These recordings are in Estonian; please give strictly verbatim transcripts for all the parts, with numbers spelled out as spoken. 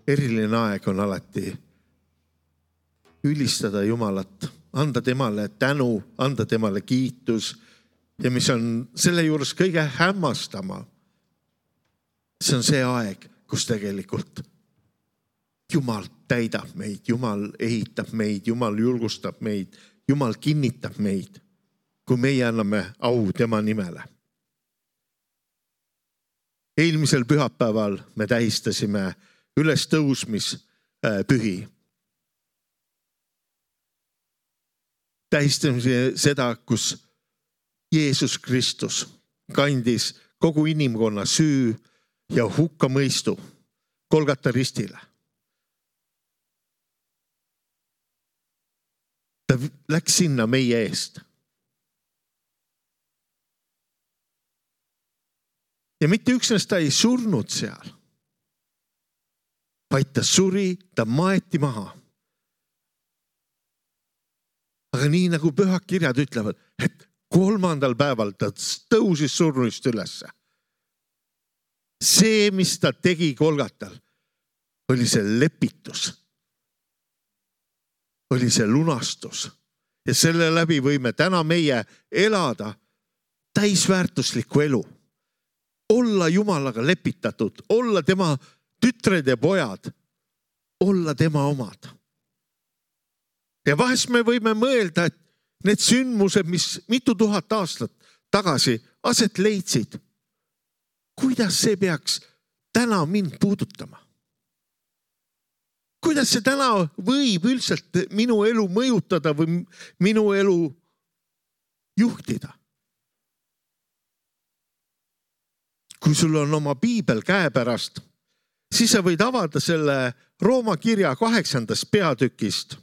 eriline aeg on alati ülistada Jumalat, anda temale tänu, anda temale kiitus ja mis on selle juures kõige hämmastama. See on see aeg, kus tegelikult Jumal täidab meid, Jumal ehitab meid, Jumal julgustab meid, Jumal kinnitab meid, kui meie anname au tema nimele. Eelmisel pühapäeval me tähistasime ülestõusmispühi. Tähistasime seda, kus Jeesus Kristus kandis kogu inimkonna süü ja hukkamõistu Golgata ristile. Ta läks sinna meie eest. Ja mitte üksnes ta ei surnud seal, vaid ta suri, ta maeti maha. Aga nii nagu pühad kirjad ütlevad, et kolmandal päeval ta tõusis surnuist ülesse. See, mis ta tegi Golgatal, oli see lepitus. Oli see lunastus. Ja selle läbi võime täna meie elada täisväärtuslikku elu. Olla Jumalaga lepitatud, olla tema tütred ja pojad, olla tema omad. Ja vahest me võime mõelda, et need sündmused, mis mitu tuhat aastat tagasi aset leidsid, kuidas see peaks täna mind puudutama? Kuidas see täna võib üldiselt minu elu mõjutada või minu elu juhtida? Kui sul on oma piibel käepärast, siis sa võid avada selle Rooma kirja kaheksandast peatükist.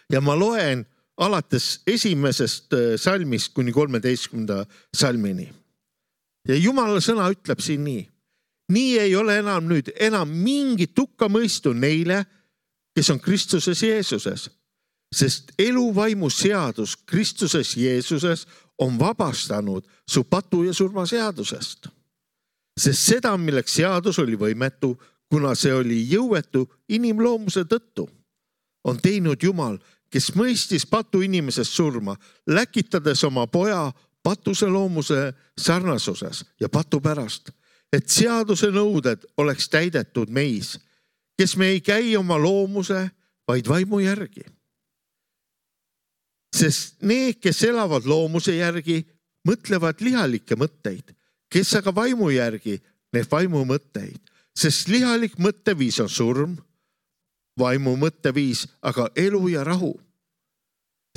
Ja ma loen alates esimesest salmist kuni kolmeteistkümnenda salmini. Ja Jumala sõna ütleb siin nii. Nii ei ole enam nüüd enam mingit hukkamõistu neile, kes on Kristuses Jeesuses, sest eluvaimu seadus Kristuses Jeesuses on vabastanud su patu ja surma seadusest. Sest seda, milleks seadus oli võimetu, kuna see oli jõuetu inimloomuse tõttu, on teinud Jumal, kes mõistis patu inimesest surma, läkitades oma poja patuse loomuse sarnasuses ja patu pärast, et seaduse nõuded oleks täidetud meis, kes me ei käi oma loomuse, vaid vaimu järgi. Sest need, kes elavad loomuse järgi, mõtlevad lihalikke mõtteid, kes aga vaimu järgi need vaimu mõtteid, sest lihalik mõtteviis on surm, vaimu mõtteviis aga elu ja rahu.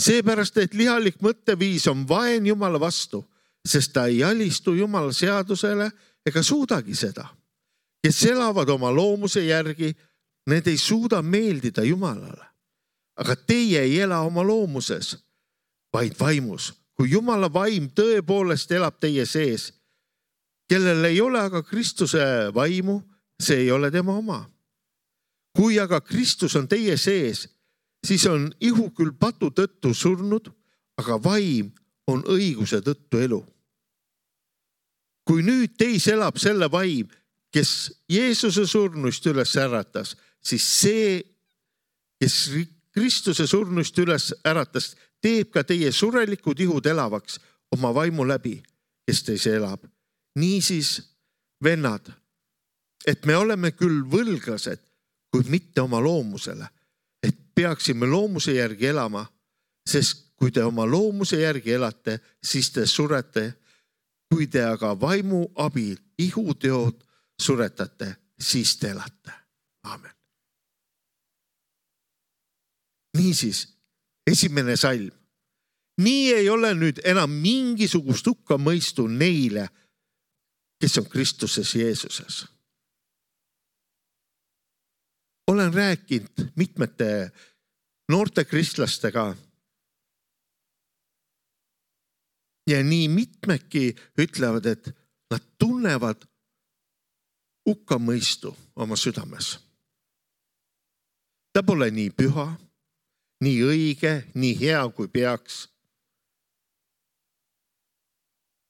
Seepärast, et lihalik mõtteviis on vaen Jumala vastu, sest ta ei alistu Jumala seadusele ega suudagi seda. Kes elavad oma loomuse järgi, need ei suuda meeldida Jumalale. Aga teie ei ela oma loomuses, vaid vaimus. Kui Jumala vaim tõepoolest elab teie sees, kellel ei ole aga Kristuse vaimu, see ei ole tema oma. Kui aga Kristus on teie sees, siis on ihu küll patu tõttu surnud, aga vaim on õiguse tõttu elu. Kui nüüd teis elab selle vaim, kes Jeesuse surnuist üles äratas, siis see, kes Kristuse surnuist üles äratas, teeb ka teie surelikud ihud elavaks oma vaimu läbi, kes teis elab. Niisiis, vennad, et me oleme küll võlglased, kuid mitte oma loomusele, et peaksime loomuse järgi elama, sest kui te oma loomuse järgi elate, siis te surete. Kui te aga vaimu abil ihuteod suretate, siis te elate. Aamen. Niisiis, esimene salm. Nii ei ole nüüd enam mingisugust hukkamõistu neile, kes on Kristuses Jeesuses. Olen rääkinud mitmete noorte kristlastega ja nii mitmedki ütlevad, et nad tunnevad hukkamõistu oma südames. Ta pole nii püha, nii õige, nii hea kui peaks.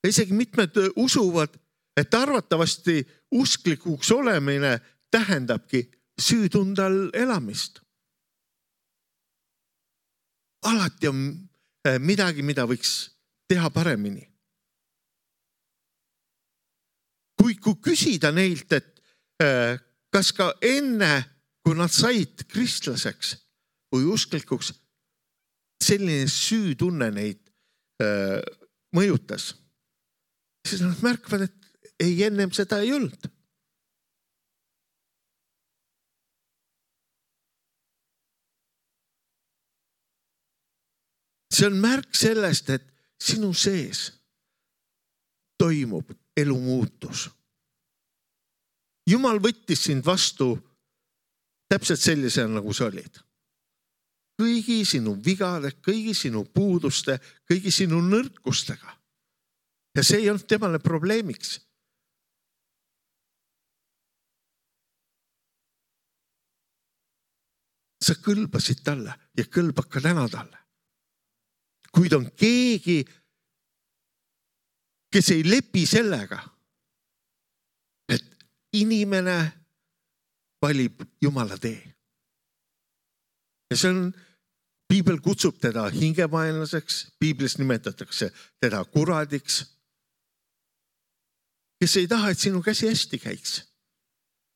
Isegi mitmed usuvad, et arvatavasti usklikuks olemine tähendabki süütunde all elamist. Alati on midagi, mida võiks teha paremini. Kui, kui küsida neilt, et kas ka enne, kui nad said kristlaseks või usklikuks, selline süütunne neid mõjutas, siis nad märkavad, et ei ennem seda ei olnud. See on märk sellest, et sinu sees toimub elu muutus. Jumal võttis sind vastu täpselt sellisena, nagu sa olid. Kõigi sinu vigade, kõigi sinu puuduste, kõigi sinu nõrkustega. Ja see ei olnud temale probleemiks. Sa kõlbasid talle ja kõlbad ka täna talle. Kuid on keegi, kes ei lepi sellega, et inimene valib Jumala tee. Ja see on, Piibel kutsub teda hingemaenlaseks, Piiblis nimetatakse teda kuradiks, kes ei taha, et sinu käsi hästi käiks.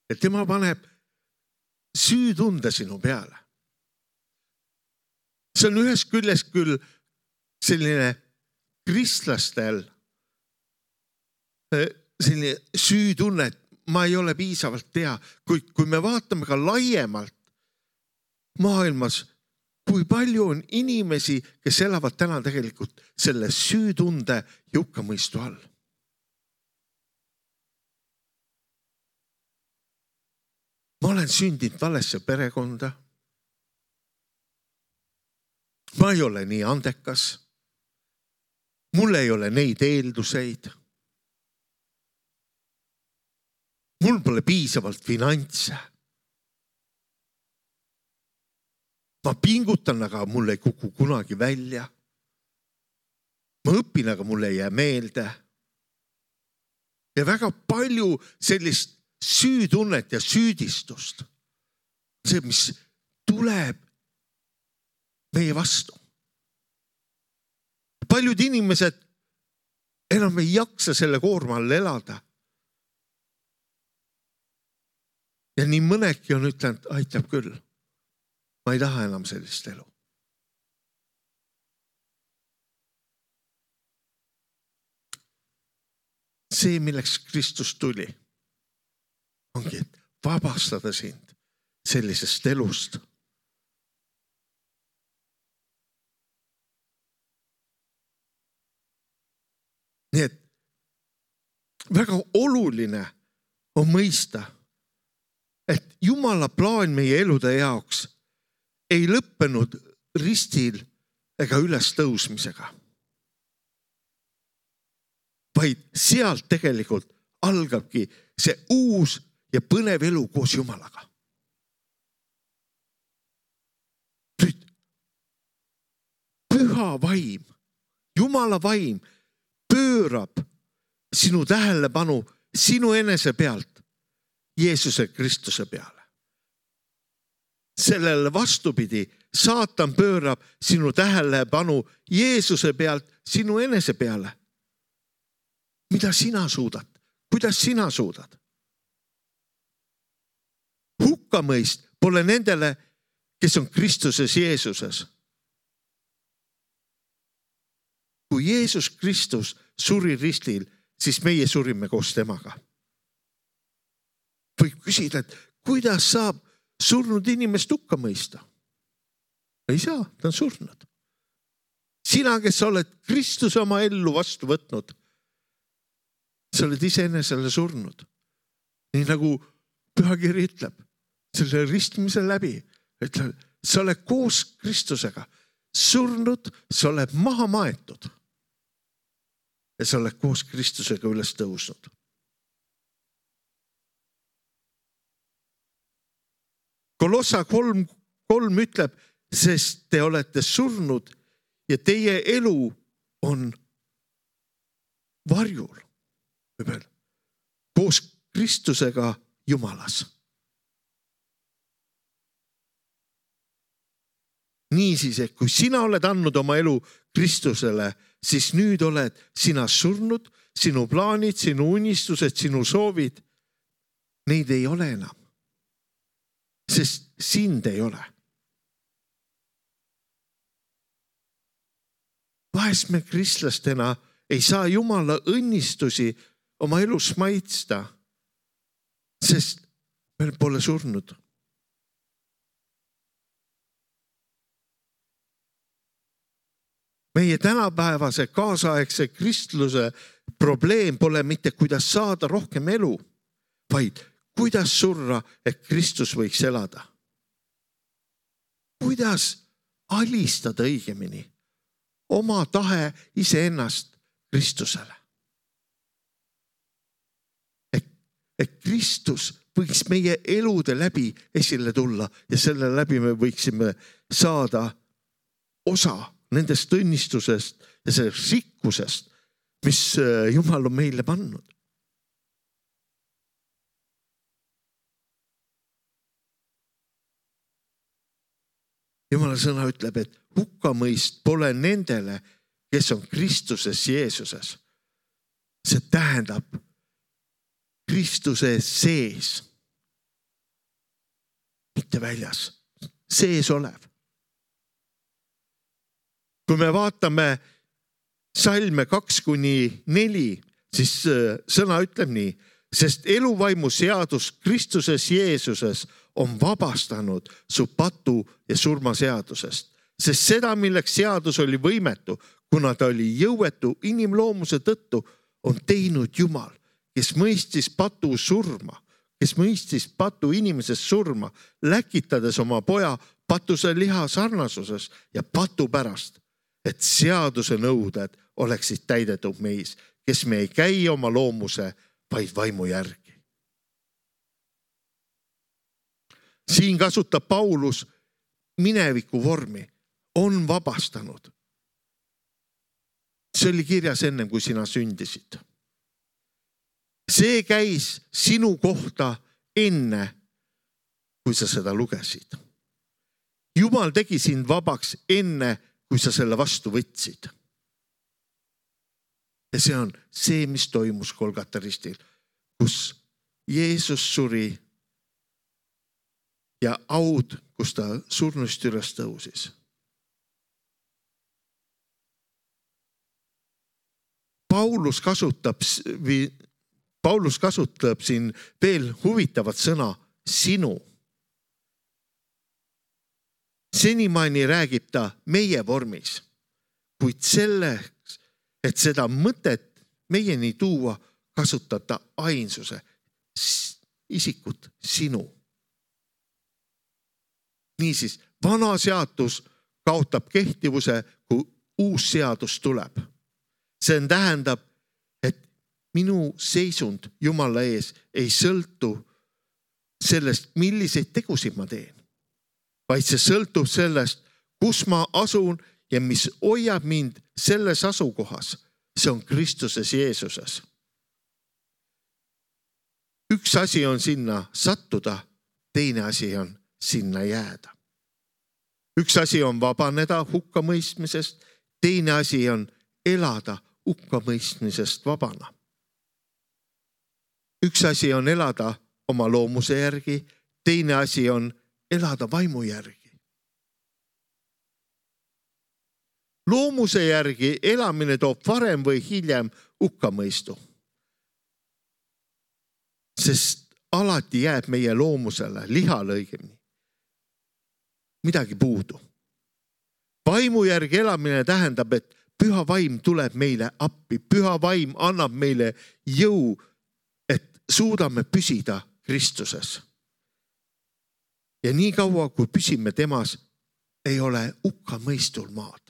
Et tema paneb süütunde sinu peale. See on ühes küljest küll selline kristlastel selline süütunne, et ma ei ole piisavalt tea, kuid kui me vaatame ka laiemalt maailmas, kui palju on inimesi, kes elavad täna tegelikult selle süütunde ja hukkamõistu all. Ma olen sündinud valesse perekonda. Ma ei ole nii andekas. Mul ei ole neid eelduseid. Mul pole piisavalt finantse. Ma pingutan, aga mul ei kuku kunagi välja. Ma õpin, aga mul ei jää meelde. Ja väga palju sellist süütunnet ja süüdistust. See, mis tuleb meie vastu. Paljud inimesed enam ei jaksa selle koorma all elada. Ja nii mõnedki on ütlenud, aitab küll. Ma ei taha enam sellist elu. See, milleks Kristus tuli, ongi, et vabastada sind sellisest elust. Nii et väga oluline on mõista, et Jumala plaan meie elude jaoks ei lõppenud ristil ega üles tõusmisega. Vaid sealt tegelikult algabki see uus ja põnev elu koos Jumalaga. Nüüd, püha vaim, Jumala vaim pöörab sinu tähelepanu sinu enese pealt Jeesuse Kristuse peale. Sellele vastupidi, saatan pöörab sinu tähelepanu Jeesuse pealt sinu enese peale. Mida sina suudad? Kuidas sina suudad? Hukkamõist pole nendele, kes on Kristuses Jeesuses. Kui Jeesus Kristus suri ristil, siis meie surime koos temaga. Võib küsida, et kuidas saab surnud inimest hukka mõista? Ei saa, ta on surnud. Sina, kes oled Kristuse oma ellu vastu võtnud, sa oled iseenesele surnud. Nii nagu pühakiri ütleb, selle ristmise läbi, ütleb, sa oled koos Kristusega surnud, sa oled maha maetud. Ja sa oled koos Kristusega üles tõusnud. Kolossa kolm, kolm ütleb, sest te olete surnud ja teie elu on varjul. Koos Kristusega Jumalas. Niisiis, et kui sina oled andnud oma elu Kristusele, siis nüüd oled sina surnud, sinu plaanid, sinu unistused, sinu soovid, neid ei ole enam. Sest sind ei ole. Vahest me kristlastena ei saa Jumala õnnistusi oma elus maitsta, sest meil pole surnud. Meie tänapäevase kaasaegse kristluse probleem pole mitte kuidas saada rohkem elu, vaid kuidas surra, et Kristus võiks elada. Kuidas alistada õigemini oma tahe iseennast Kristusele. Et, et Kristus võiks meie elude läbi esile tulla ja selle läbi me võiksime saada osa nendest õnnistusest ja sellest rikkusest, mis Jumal on meile pannud. Jumala sõna ütleb, et hukkamõist pole nendele, kes on Kristuses Jeesuses. See tähendab Kristuse sees, mitte väljas, sees olev. Kui me vaatame salme kaks kuni neli, siis sõna ütleb nii, sest eluvaimu seadus Kristuses Jeesuses on vabastanud su patu ja surma seadusest, sest seda, milleks seadus oli võimetu, kuna ta oli jõuetu inimloomuse tõttu, on teinud Jumal, kes mõistis patu surma, kes mõistis patu inimesest surma, läkitades oma poja patuse liha sarnasuses ja patu pärast, et seaduse nõuded oleksid täidetud meis, kes me ei käi oma loomuse, vaid vaimu järgi. Siin kasutab Paulus mineviku vormi, on vabastanud. See oli kirjas enne, kui sina sündisid. See käis sinu kohta enne, kui sa seda lugesid. Jumal tegi sind vabaks enne, kui sa selle vastu võtsid. Ja see on see, mis toimus Golgata ristil, kus Jeesus suri ja aud, kus ta surnust üles tõusis. Paulus kasutab, Paulus kasutab siin veel huvitavat sõna sinu. Senimaani räägib ta meie vormis, kuid selleks, et seda mõtet meieni tuua, kasutab ta ainsuse, isikut sinu. Niisiis, vana seadus kaotab kehtivuse, kui uus seadus tuleb. See tähendab, et minu seisund Jumala ees ei sõltu sellest, milliseid tegusid ma teen, vaid see sõltub sellest, kus ma asun ja mis hoiab mind selles asukohas. See on Kristuses Jeesuses. Üks asi on sinna sattuda, teine asi on sinna jääda. Üks asi on vabaneda hukkamõistmisest, teine asi on elada hukkamõistmisest vabana. Üks asi on elada oma loomuse järgi, teine asi on elada vaimu järgi. Loomuse järgi elamine toob varem või hiljem hukkamõistu. Sest alati jääb meie loomusele, lihale õigemini, midagi puudu. Vaimu järgi elamine tähendab, et püha vaim tuleb meile appi. Püha vaim annab meile jõu, et suudame püsida Kristuses. Ja nii kaua, kui püsime temas, ei ole hukkamõistul maad.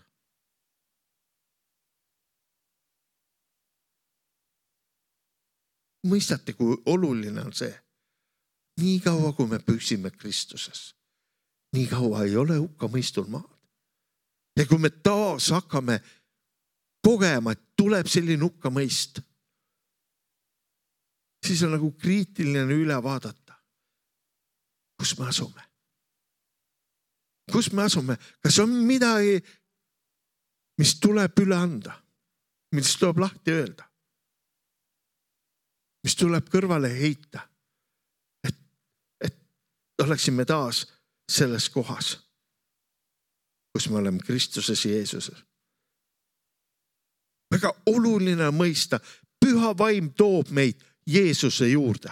Mõistate, kui oluline on see. Nii kaua, kui me püsime Kristuses, nii kaua ei ole hukkamõistul maad. Ja kui me taas hakkame kogema, et tuleb selline hukkamõist, siis on nagu kriitiline üle vaadata, kus me asume. kus me asume? Kas on midagi, mis tuleb üle anda? Mis tuleb lahti öelda? Mis tuleb kõrvale heita? Et, et oleksime taas selles kohas, kus me oleme Kristuses Jeesuses. Väga oluline mõista, püha vaim toob meid Jeesuse juurde.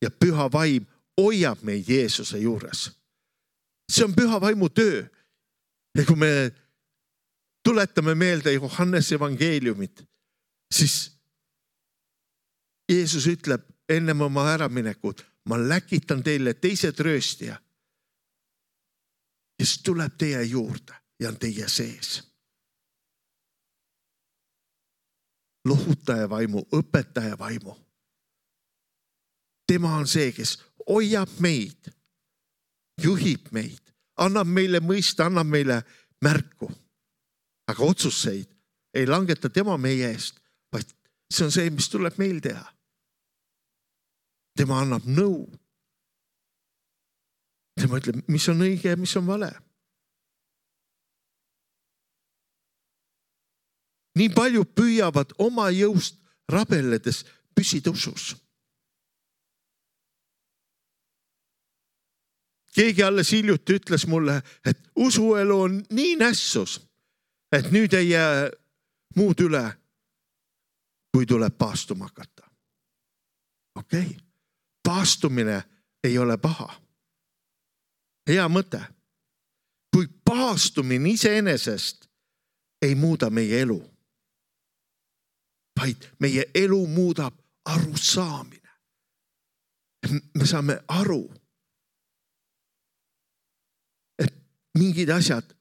Ja püha vaim hoiab meid Jeesuse juures. See on püha vaimu töö. Ja kui me tuletame meelde Johannese evangeeliumit, siis Jeesus ütleb ennem oma äraminekut, ma läkitan teile teise trööstija, kes tuleb teie juurde ja on teie sees. Lohutaja vaimu, õpetaja vaimu. Tema on see, kes hoiab meid, juhib meid, annab meile mõista, annab meile märku. Aga otsuseid ei langeta tema meie eest, vaid see on see, mis tuleb meil teha. Tema annab nõu. Tema ütleb, mis on õige ja mis on vale. Nii palju püüavad oma jõust rabeledes püsida usus. Keegi alles hiljuti ütles mulle, et usuelu on nii nässus, et nüüd ei jää muud üle, kui tuleb paastuma hakata. Okei, okay. Paastumine ei ole paha. Hea mõte. Kui paastumine iseenesest ei muuda meie elu, vaid meie elu muudab arusaamine. Me saame aru, et mingid asjad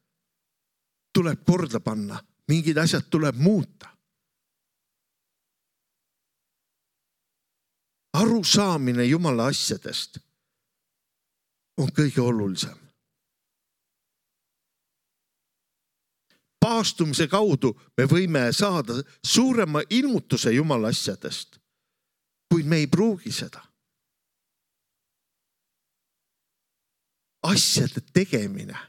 tuleb korda panna, mingid asjad tuleb muuta. Arusaamine Jumala asjadest on kõige olulisem. Paastumise kaudu me võime saada suurema ilmutuse Jumala asjadest, kuid me ei pruugi seda. Asjade tegemine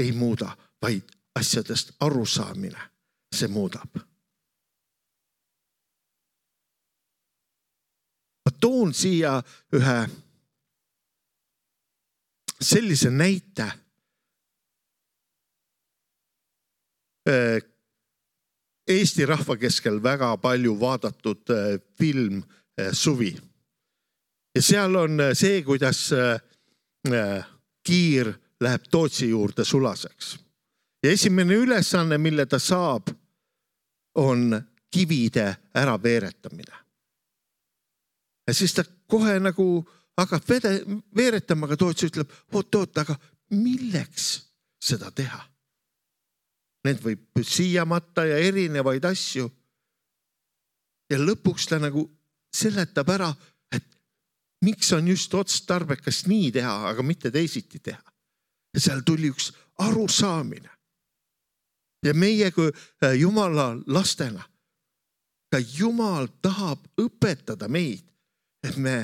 ei muuda, vaid asjadest arusaamine see muudab. Ma toon siia ühe sellise näite. Eesti rahva keskel väga palju vaadatud film Suvi. Ja seal on see, kuidas Kiir läheb Tootsi juurde sulaseks. Ja esimene ülesanne, mille ta saab, on kivide ära veeretamine. Ja siis ta kohe nagu hakkab veeretama, aga Toots ütleb, oot, oot, aga milleks seda teha? Need võib siiamatta ja erinevaid asju. Ja lõpuks ta nagu seletab ära, et miks on just otstarbekas nii teha, aga mitte teisiti teha. Ja seal tuli üks arusaamine. Ja meie kui Jumala lastena, ka Jumal tahab õpetada meid, et me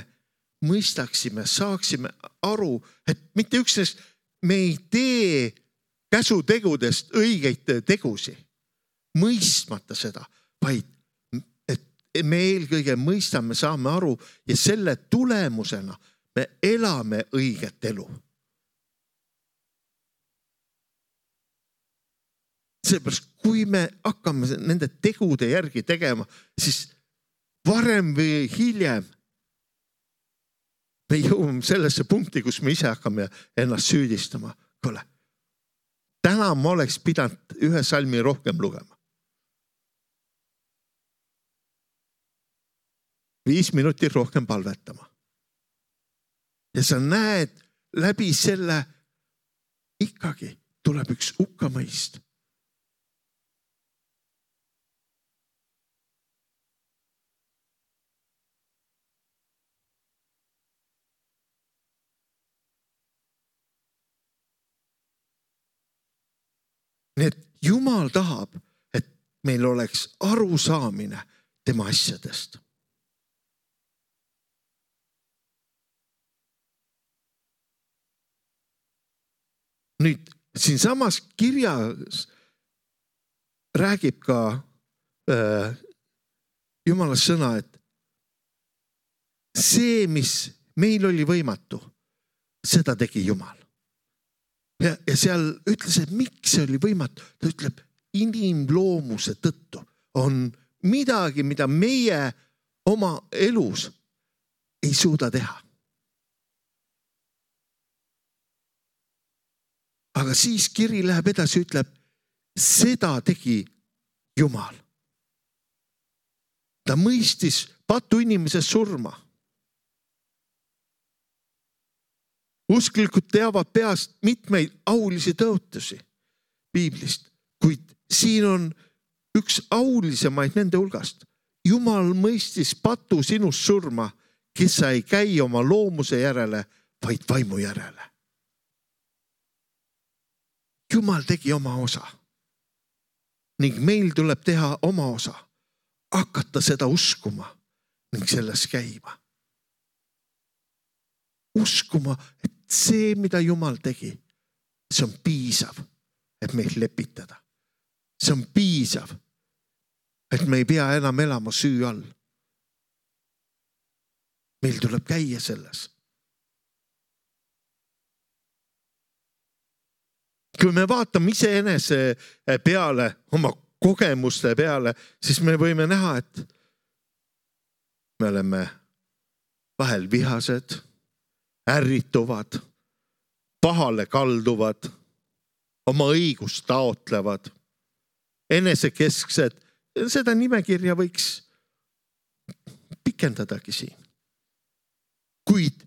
mõistaksime, saaksime aru, et mitte üksnes me ei tee käsutegudest õigeid tegusi, mõistmata seda, vaid et me eelkõige mõistame, saame aru ja selle tulemusena me elame õiget elu. Seepärast, kui me hakkame nende tegude järgi tegema, siis varem või hiljem me jõuame sellesse punkti, kus me ise hakkame ennast süüdistama. Kole, täna ma oleks pidanud ühe salmi rohkem lugema. Viis minutit rohkem palvetama. Ja sa näed läbi selle ikkagi tuleb üks hukkamõist. Nii et Jumal tahab, et meil oleks arusaamine tema asjadest. nüüd siin samas kirjas räägib ka äh, Jumala sõna, et see, mis meil oli võimatu, seda tegi Jumal. Ja, ja seal ütles, et miks see oli võimatu? Ta ütleb, inimloomuse tõttu on midagi, mida meie oma elus ei suuda teha. Aga siis kiri läheb edasi, ütleb, seda tegi Jumal. Ta mõistis patu inimese surma. Usklikud teavad peast mitmeid aulisi tõotusi piiblist, kuid siin on üks aulisemaid nende hulgast. Jumal mõistis patu sinust surma, kes sa ei käi oma loomuse järele, vaid vaimu järele. Jumal tegi oma osa ning meil tuleb teha oma osa, hakata seda uskuma ning selles käima. Uskuma, et see, mida Jumal tegi, see on piisav, et meid lepitada. See on piisav, et me ei pea enam elama süü all. Meil tuleb käia selles. Kui me vaatame iseenese peale, oma kogemuste peale, siis me võime näha, et me oleme vahel vihased, ärrituvad, pahale kalduvad, oma õigust taotlevad, enesekesksed. Seda nimekirja võiks pikendadagi siin. Kuid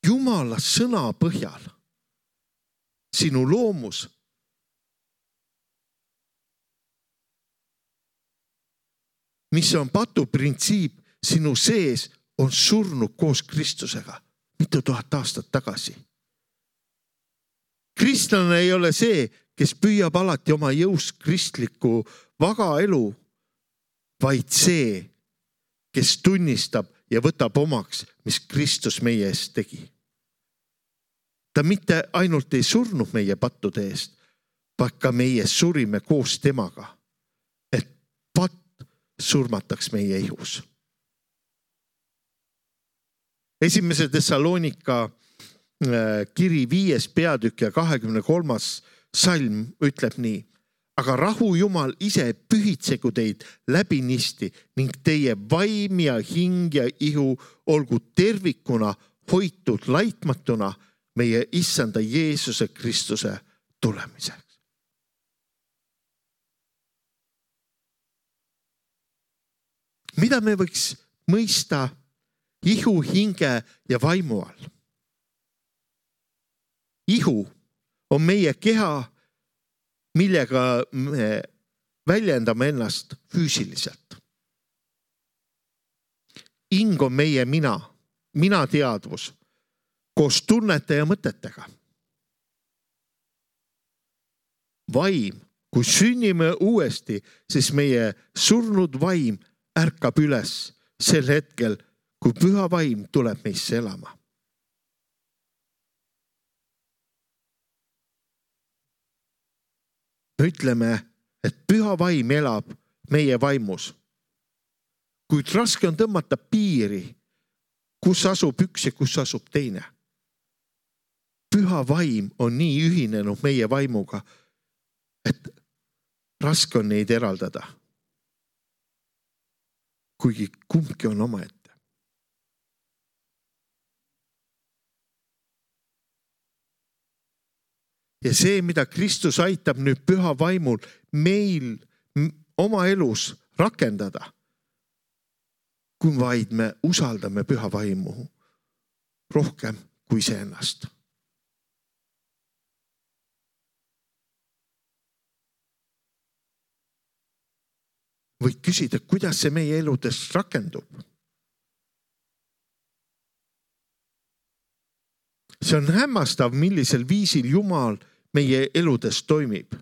Jumala sõna põhjal sinu loomus mis on patu printsiip sinu sees, on surnud koos Kristusega mitu tuhat aastat tagasi. Kristlane ei ole see, kes püüab alati oma jõust kristlikku vaga elu, vaid see, kes tunnistab ja võtab omaks, mis Kristus meie eest tegi. Ta mitte ainult ei surnud meie pattude eest, vaid ka meie surime koos temaga, et patt surmataks meie ihus. Esimese Thessalonika kiri viies peatükk ja kahekümne kolmas salm ütleb nii. Aga rahu Jumal ise pühitsegu teid läbinisti ning teie vaim ja hing ja ihu olgu tervikuna hoitud laitmatuna meie issanda Jeesuse Kristuse tulemiseks. Mida me võiks mõista ihu, hinge ja vaimu all? Ihu on meie keha, millega me väljendame ennast füüsiliselt. Hing on meie mina, mina teadvus, koos tunnete ja mõtetega. Vaim, kui sünnime uuesti, siis meie surnud vaim ärkab üles sel hetkel, kui püha vaim tuleb meisse elama. Me ütleme, et püha vaim elab meie vaimus. Kuid raske on tõmmata piiri, kus asub üks ja kus asub teine. Püha vaim on nii ühinenud meie vaimuga, et raske on neid eraldada. Kuigi kumbki on omaette. Ja see, mida Kristus aitab nüüd püha vaimul meil oma elus rakendada, kui vaid me usaldame püha vaimu rohkem kui iseennast. Võid küsida, kuidas see meie eludes rakendub. See on hämmastav, millisel viisil Jumal meie eludes toimib.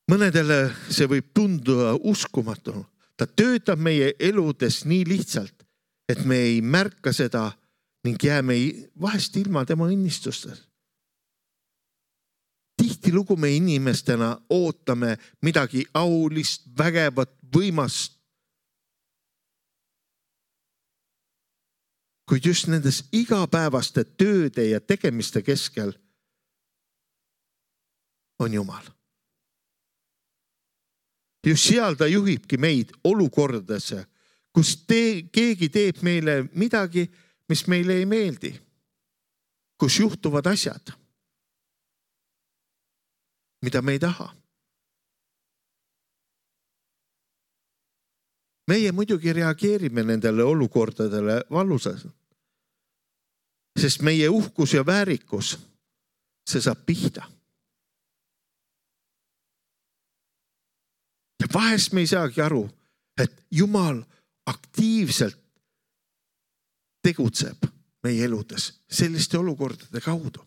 Mõnedele see võib tunduda uskumatu. Ta töötab meie eludes nii lihtsalt, et me ei märka seda ning jääme vahest ilma tema õnnistustest. tihtilugu me inimestena ootame midagi aulist, vägevat, võimast. Kuid just nendes igapäevaste tööde ja tegemiste keskel on Jumal. Just seal ta juhibki meid olukordadesse, kus te, keegi teeb meile midagi, mis meile ei meeldi, kus juhtuvad asjad, mida me ei taha. Meie muidugi reageerime nendele olukordadele valusas, sest meie uhkus ja väärikus, see saab pihta. Ja vahest me ei saagi aru, et Jumal aktiivselt tegutseb meie eludes selliste olukordade kaudu.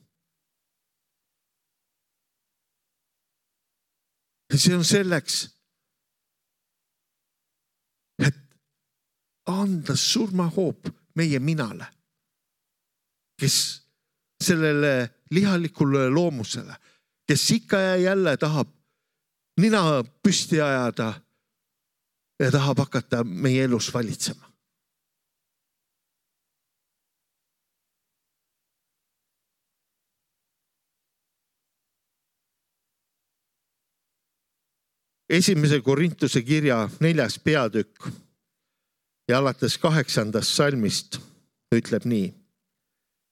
Ja see on selleks, et anda surmahoop meie minale, kes sellele lihalikule loomusele, kes ikka ja jälle tahab nina püsti ajada ja tahab hakata meie elus valitsema. Esimese Korintuse kirja neljas peatükk ja alates kaheksandast salmist ütleb nii.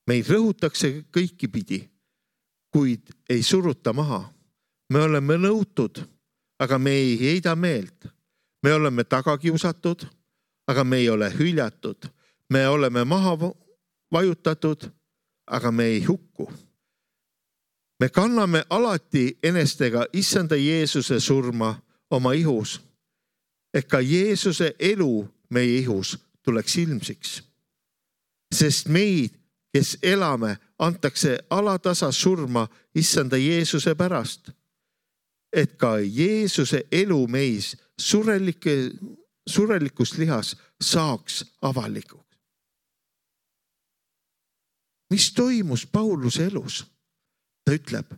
Meid rõhutakse kõiki pidi, kuid ei suruta maha. Me oleme nõutud, aga me ei heida meelt. Me oleme tagakiusatud, aga me ei ole hüljatud. Me oleme maha vajutatud, aga me ei hukku. Me kanname alati enestega issanda Jeesuse surma oma ihus, et ka Jeesuse elu meie ihus tuleks ilmsiks. Sest meid, kes elame, antakse alatasa surma issanda Jeesuse pärast, et ka Jeesuse elu meis surelike, surelikus lihas saaks avalikuks. Mis toimus Pauluse elus? Ta ütleb,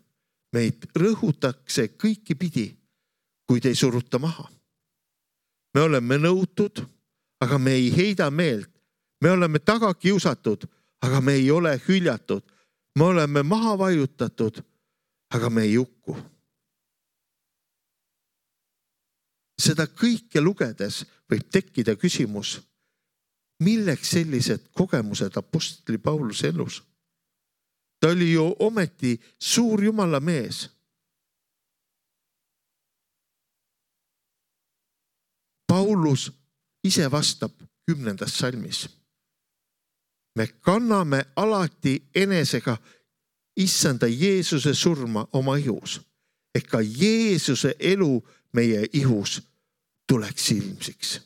meid rõhutakse kõiki pidi, kuid ei suruta maha. Me oleme nõutud, aga me ei heida meelt. Me oleme taga kiusatud, aga me ei ole hüljatud. Me oleme maha vajutatud, aga me ei hukku. Seda kõike lugedes võib tekkida küsimus, milleks sellised kogemused apostli Pauluse elus? Ta oli ju ometi suur Jumala mees. Paulus ise vastab kümnendas salmis. Me kanname alati enesega issanda Jeesuse surma oma ihus, et ka Jeesuse elu meie ihus tuleks ilmsiks.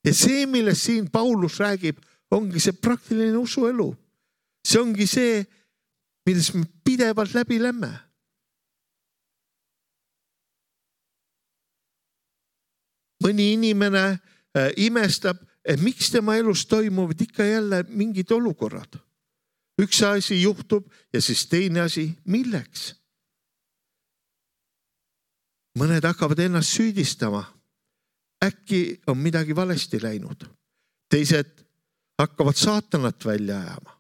Ja see, millest siin Paulus räägib, ongi see praktiline usuelu. See ongi see, milles me pidevalt läbi lämme. Mõni inimene äh, imestab, et miks tema elus toimuvad ikka jälle mingid olukorrad. Üks asi juhtub ja siis teine asi, milleks? Mõned hakkavad ennast süüdistama. Äkki on midagi valesti läinud. Teised hakkavad saatanat välja ajama.